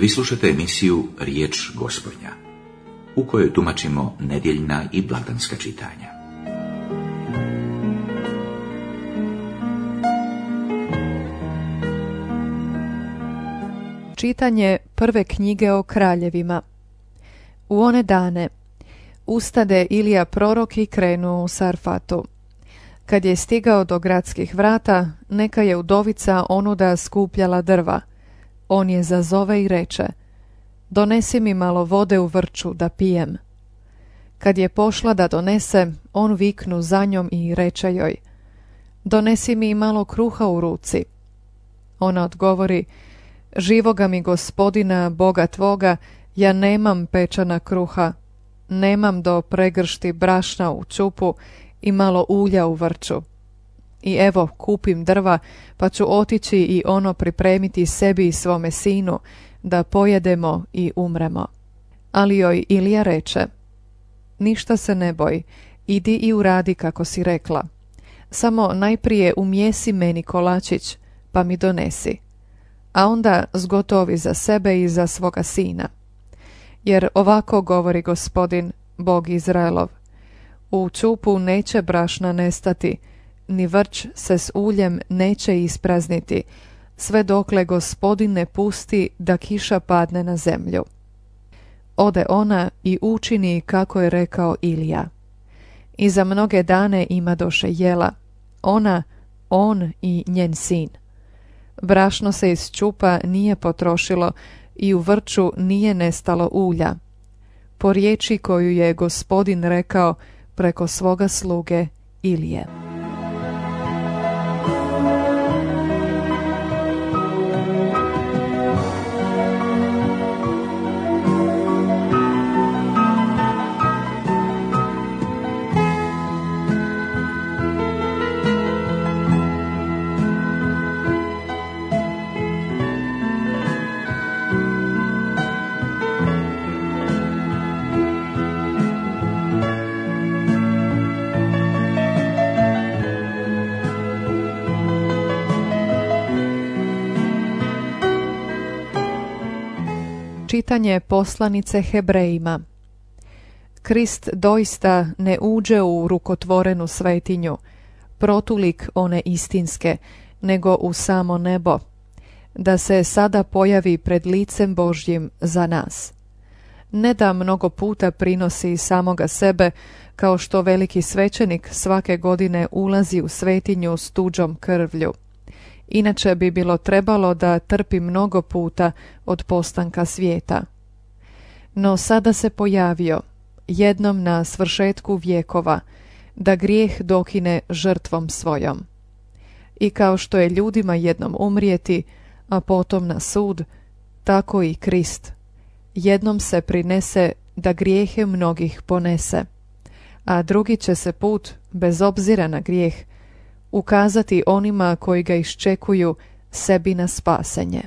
Vi slušate emisiju Riječ Gospodnja, u kojoj tumačimo nedjeljna i blagdanska čitanja. Čitanje prve knjige o kraljevima. U one dane ustade Ilija prorok i krenu u Sarfatu. Kad je stigao do gradskih vrata, neka je udovica onuda skupljala drva. On je zazove i reče: donesi mi malo vode u vrču da pijem. Kad je pošla da donese, on viknu za njom i reče joj: donesi mi malo kruha u ruci. Ona odgovori: živoga mi Gospodina, Boga tvoga, ja nemam pečana kruha, nemam do pregršti brašna u čupu i malo ulja u vrču. I evo, kupim drva, pa ću otići i ono pripremiti sebi i svome sinu, da pojedemo i umremo. Ali joj Ilija reče: ništa se ne boj, idi i uradi kako si rekla. Samo najprije umjesi meni kolačić, pa mi donesi. A onda zgotovi za sebe i za svoga sina. Jer ovako govori Gospodin, Bog Izraelov: u čupu neće brašna nestati, ni vrč se s uljem neće isprazniti, sve dokle Gospodin ne pusti da kiša padne na zemlju. Ode ona i učini kako je rekao Ilija. I za mnoge dane imadoše jela, ona, on i njen sin. Brašno se iz čupa nije potrošilo i u vrču nije nestalo ulja, po riječi koju je Gospodin rekao preko svoga sluge Ilije. Čitanje poslanice Hebrejima. Krist doista ne uđe u rukotvorenu svetinju, protulik one istinske, nego u samo nebo, da se sada pojavi pred licem Božjim za nas. Ne da mnogo puta prinosi samoga sebe, kao što veliki svećenik svake godine ulazi u svetinju s tuđom krvlju. Inače bi bilo trebalo da trpi mnogo puta od postanka svijeta. No sada se pojavio, jednom na svršetku vjekova, da grijeh dokine žrtvom svojom. I kao što je ljudima jednom umrijeti, a potom na sud, tako i Krist. Jednom se prinese da grijehe mnogih ponese, a drugi će se put, bez obzira na grijeh, ukazati onima koji ga iščekuju sebi na spasenje.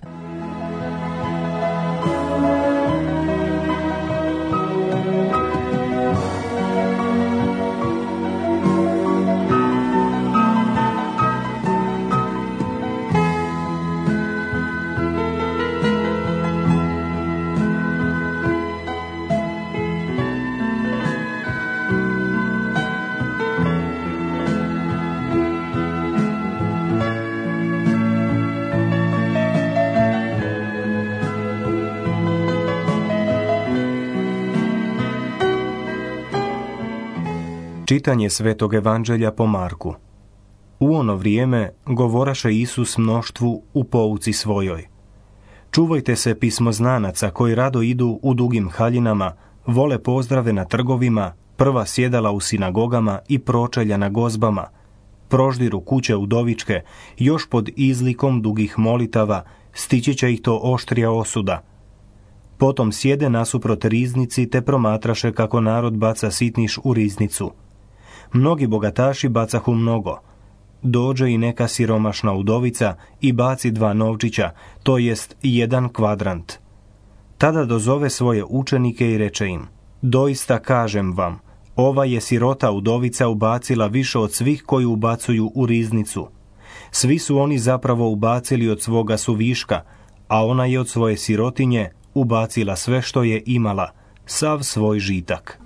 Čitanje Svetog Evanđelja po Marku. U ono vrijeme govoraše Isus mnoštvu u pouci svojoj: čuvajte se pismoznanaca koji rado idu u dugim haljinama, vole pozdrave na trgovima, prva sjedala u sinagogama i pročelja na gozbama, proždiru kuće udovičke, još pod izlikom dugih molitava, stići će ih to oštrija osuda. Potom sjede nasuprot riznici te promatraše kako narod baca sitniš u riznicu. Mnogi bogataši bacahu mnogo. Dođe i neka siromašna udovica i baci 2 novčića, to jest 1 kvadrant. Tada dozove svoje učenike i reče im: doista kažem vam, ova je sirota udovica ubacila više od svih koji ubacuju u riznicu. Svi su oni zapravo ubacili od svoga suviška, a ona je od svoje sirotinje ubacila sve što je imala, sav svoj žitak.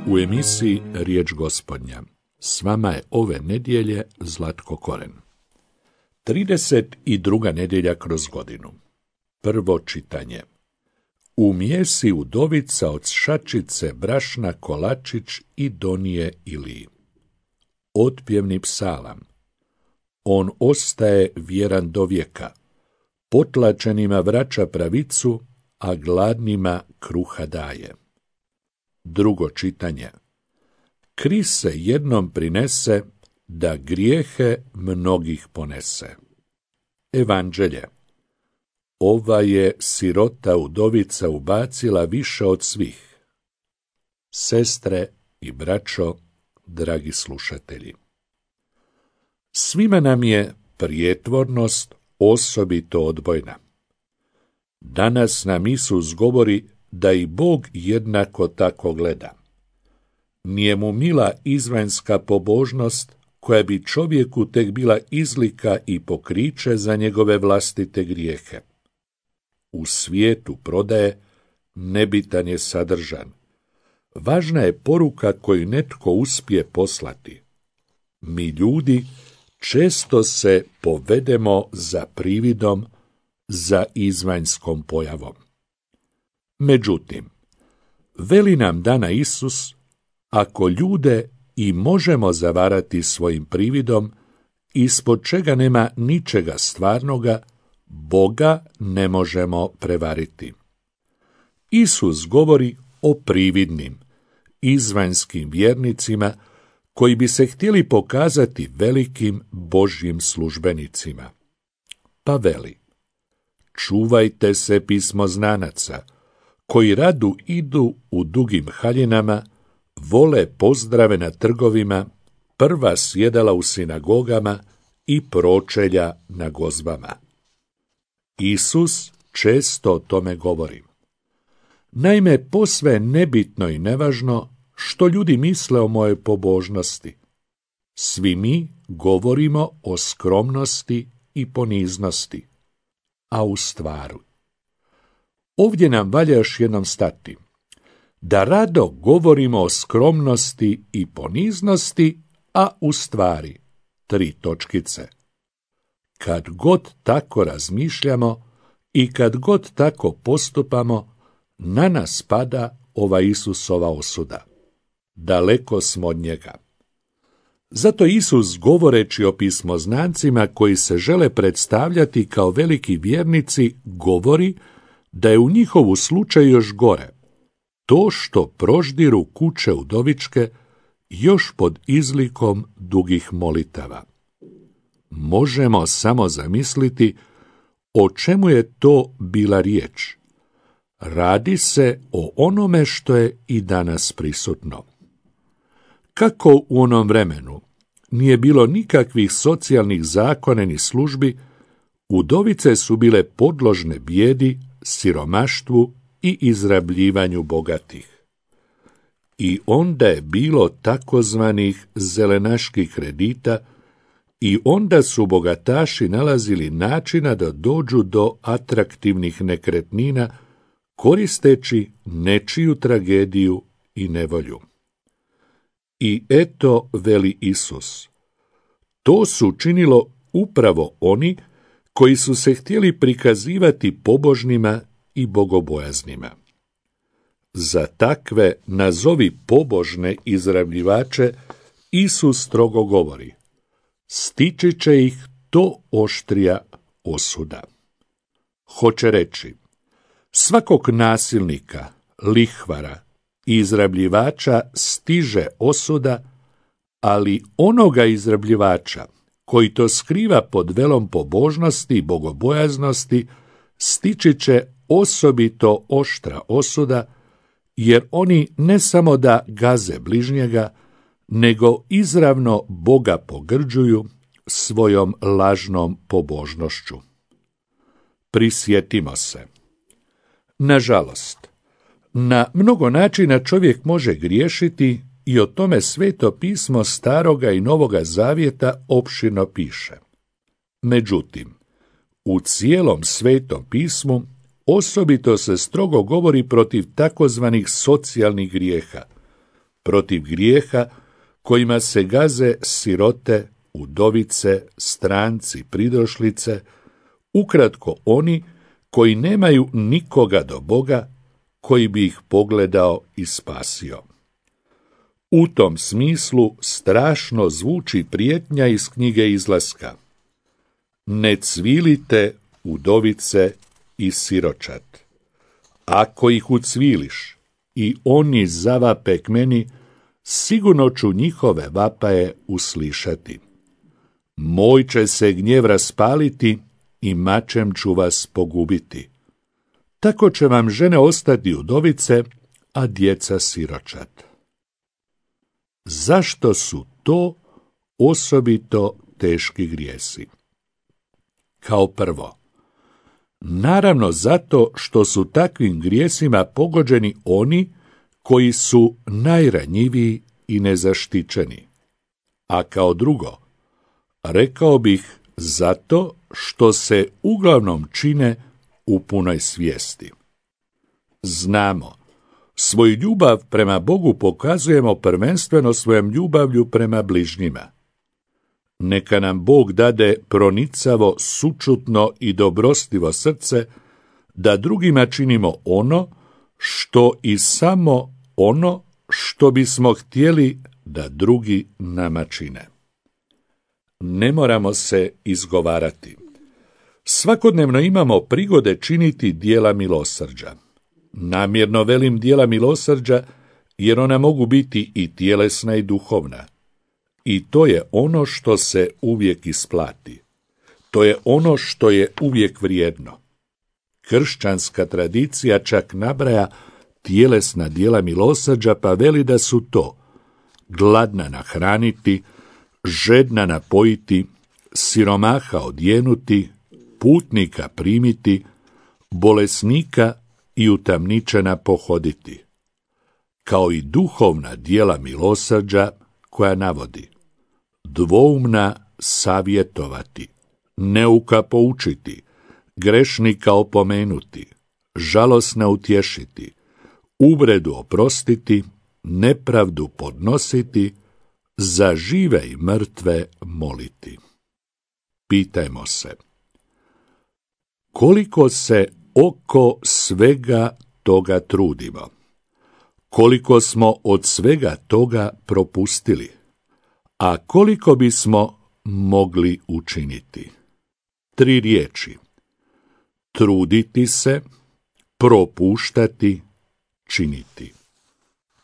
U emisiji Riječ Gospodnja s vama je ove nedjelje Zlatko Koren. 32. nedjelja kroz godinu. Prvo čitanje. Umijesi udovica od šačice brašna kolačić i donije Iliji. Otpjevni psalam. On ostaje vjeran do vijeka. Potlačenima vraća pravicu, a gladnima kruha daje. Drugo čitanje. Krist se jednom prinese, da grijehe mnogih ponese. Evanđelje. Ova je sirota udovica ubacila više od svih. Sestre i braćo, dragi slušatelji. Svima nam je prijetvornost osobito odbojna. Danas nam Isus govori da i Bog jednako tako gleda. Nije mu mila izvanjska pobožnost koja bi čovjeku tek bila izlika i pokriće za njegove vlastite grijehe. U svijetu prodaje nebitan je sadržan. Važna je poruka koju netko uspije poslati. Mi ljudi često se povedemo za prividom, za izvanjskom pojavom. Međutim, veli nam dana Isus, ako ljude i možemo zavarati svojim prividom, ispod čega nema ničega stvarnoga, Boga ne možemo prevariti. Isus govori o prividnim, izvanjskim vjernicima koji bi se htjeli pokazati velikim Božjim službenicima. Pa veli, čuvajte se pismoznanaca, koji radu idu u dugim haljinama, vole pozdrave na trgovima, prva sjedala u sinagogama i pročelja na gozbama. Isus često o tome govori. Naime, posve nebitno i nevažno što ljudi misle o mojoj pobožnosti. Svi mi govorimo o skromnosti i poniznosti, a u stvaru. Ovdje nam valja još jednom stati. Da rado govorimo o skromnosti i poniznosti, a u stvari 3 točkice. Kad god tako razmišljamo i kad god tako postupamo, na nas pada ova Isusova osuda. Daleko smo od njega. Zato Isus, govoreći o pismoznancima koji se žele predstavljati kao veliki vjernici, govori da je u njihovu slučaju još gore. To što proždiru kuće udovičke još pod izlikom dugih molitava. Možemo samo zamisliti o čemu je to bila riječ. Radi se o onome što je i danas prisutno. Kako u onom vremenu nije bilo nikakvih socijalnih zakona ni službi, udovice su bile podložne bijedi, siromaštvu i izrabljivanju bogatih. I onda je bilo takozvanih zelenaških kredita i onda su bogataši nalazili načina da dođu do atraktivnih nekretnina koristeći nečiju tragediju i nevolju. I eto, veli Isus, to su činilo upravo oni koji su se htjeli prikazivati pobožnima i bogobojaznima. Za takve, nazovi pobožne izrabljivače, Isus strogo govori, stići će ih to oštrija osuda. Hoće reći, svakog nasilnika, lihvara i izrabljivača stiže osuda, ali onoga izrabljivača koji to skriva pod velom pobožnosti i bogobojaznosti stići će osobito oštra osuda, jer oni ne samo da gaze bližnjega, nego izravno Boga pogrđuju svojom lažnom pobožnošću. Prisjetimo se. Nažalost, na mnogo načina čovjek može griješiti i o tome Sveto pismo Staroga i Novoga Zavjeta opširno piše. Međutim, u cijelom Svetom pismu osobito se strogo govori protiv takozvanih socijalnih grijeha, protiv grijeha kojima se gaze sirote, udovice, stranci, pridošlice, ukratko oni koji nemaju nikoga do Boga, koji bi ih pogledao i spasio. U tom smislu strašno zvuči prijetnja iz knjige Izlaska. Ne cvilite, udovice i siročad. Ako ih ucviliš i oni zavape k meni, sigurno ću njihove vapaje uslišati. Moj će se gnjev raspaliti i mačem ću vas pogubiti. Tako će vam žene ostati udovice, a djeca siročad. Zašto su to osobito teški grijesi? Kao prvo, naravno zato što su takvim grijesima pogođeni oni koji su najranjiviji i nezaštićeni. A kao drugo, rekao bih zato što se uglavnom čine u punoj svijesti. Znamo, svoju ljubav prema Bogu pokazujemo prvenstveno svojom ljubavlju prema bližnjima. Neka nam Bog dade pronicavo, sućutno i dobrostivo srce, da drugima činimo ono što i samo ono što bismo htjeli da drugi nama čine. Ne moramo se izgovarati. Svakodnevno imamo prigode činiti djela milosrđa. Namjerno velim djela milosrđa, jer ona mogu biti i tjelesna i duhovna. I to je ono što se uvijek isplati. To je ono što je uvijek vrijedno. Kršćanska tradicija čak nabraja tjelesna djela milosrđa, pa veli da su to gladna nahraniti, žedna napojiti, siromaha odjenuti, putnika primiti, bolesnika i utamničena pohoditi, kao i duhovna djela milosrđa koja navodi: dvoumna savjetovati, neuka poučiti, grešnika opomenuti, žalosna utješiti, uvredu oprostiti, nepravdu podnositi, za žive i mrtve moliti. Pitajmo se, koliko se oko svega toga trudimo? Koliko smo od svega toga propustili? A koliko bismo mogli učiniti? 3 riječi: truditi se, propuštati, činiti.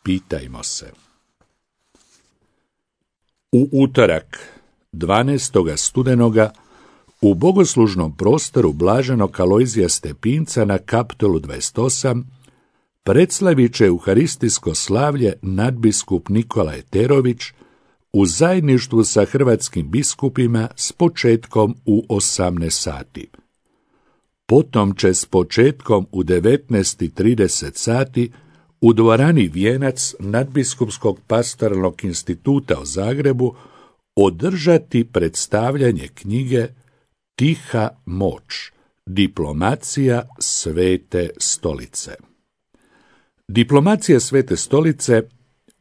Pitajmo se. U utorak, 12. studenoga, u bogoslužnom prostoru blaženog Alojzija Stepinca na Kaptolu 28 predslavit će euharistijsko slavlje nadbiskup Nikola Eterović u zajedništvu sa hrvatskim biskupima s početkom u 18 sati. Potom će s početkom u 19:30 sati u dvorani Vijenac Nadbiskupskog pastoralnog instituta u Zagrebu održati predstavljanje knjige Tiha moć, diplomacija Svete stolice. Diplomacija Svete stolice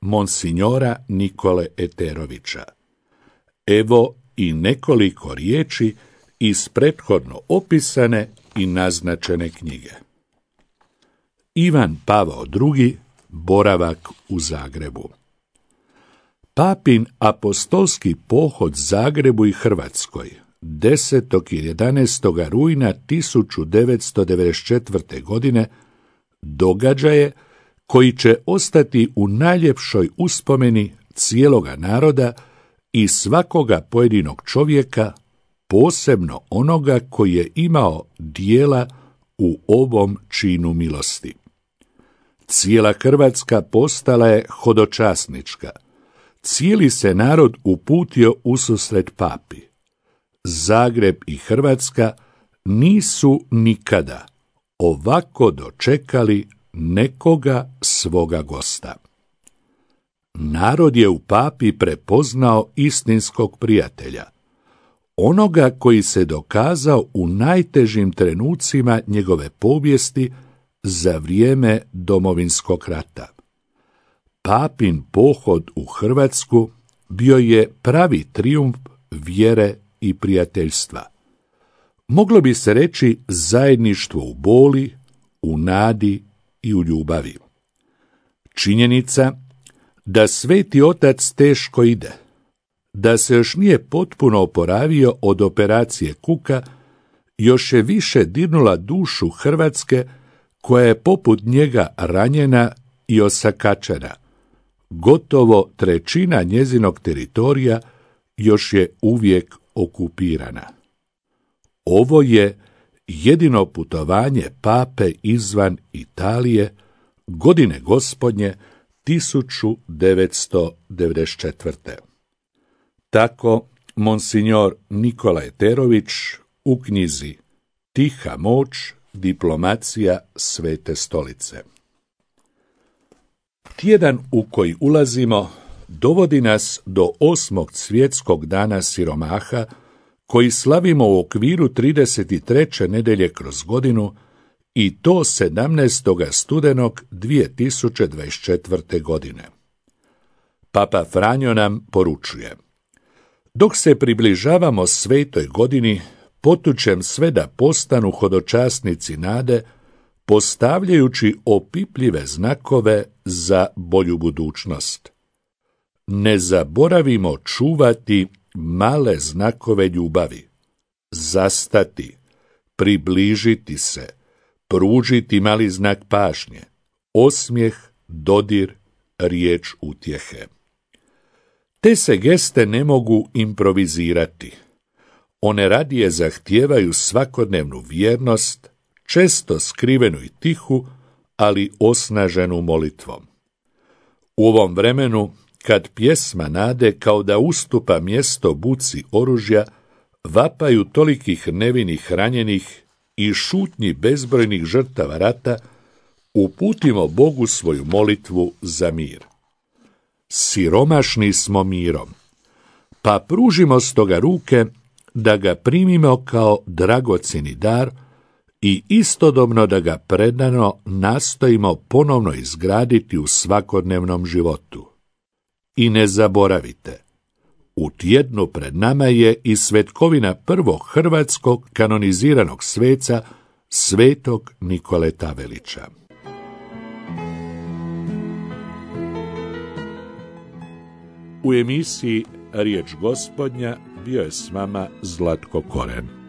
Monsignora Nikole Eterovića. Evo i nekoliko riječi iz prethodno opisane i naznačene knjige. Ivan Pavao II. Boravak u Zagrebu. Papin apostolski pohod Zagrebu i Hrvatskoj 10. i 11. rujna 1994. godine događaje koji će ostati u najljepšoj uspomeni cijeloga naroda i svakoga pojedinog čovjeka, posebno onoga koji je imao dijela u ovom činu milosti. Cijela Hrvatska postala je hodočasnička. Cijeli se narod uputio ususret papi. Zagreb i Hrvatska nisu nikada ovako dočekali nekoga svoga gosta. Narod je u papi prepoznao istinskog prijatelja, onoga koji se dokazao u najtežim trenucima njegove povijesti za vrijeme Domovinskog rata. Papin pohod u Hrvatsku bio je pravi trijumf vjere i prijateljstva. Moglo bi se reći zajedništvo u boli, u nadi i u ljubavi. Činjenica da Sveti Otac teško ide, da se još nije potpuno oporavio od operacije kuka, još je više dirnula dušu Hrvatske, koja je poput njega ranjena i osakačena. Gotovo trećina njezinog teritorija još je uvijek okupirana. Ovo je jedino putovanje pape izvan Italije godine Gospodnje 1994. Tako monsignor Nikola Eterović u knjizi Tiha moć, diplomacija Svete stolice. Tjedan u koji ulazimo dovodi nas do 8. svjetskog dana siromaha, koji slavimo u okviru 33. nedelje kroz godinu, i to 17. studenog 2024. godine. Papa Franjo nam poručuje: dok se približavamo svetoj godini, potučem sve da postanu hodočasnici nade, postavljajući opipljive znakove za bolju budućnost. Ne zaboravimo čuvati male znakove ljubavi, zastati, približiti se, pružiti mali znak pažnje, osmijeh, dodir, riječ utjehe. Te se geste ne mogu improvizirati. One radije zahtijevaju svakodnevnu vjernost, često skrivenu i tihu, ali osnaženu molitvom. U ovom vremenu, kad pjesma nade kao da ustupa mjesto buci oružja, vapaju tolikih nevinih ranjenih i šutnji bezbrojnih žrtava rata, uputimo Bogu svoju molitvu za mir. Siromašni smo mirom, pa pružimo stoga ruke da ga primimo kao dragocjeni dar i istodobno da ga predano nastojimo ponovno izgraditi u svakodnevnom životu. I ne zaboravite, u tjednu pred nama je i svetkovina prvog hrvatskog kanoniziranog sveca, svetog Nikole Tavelića. U emisiji Riječ Gospodnja bio je s vama Zlatko Koren.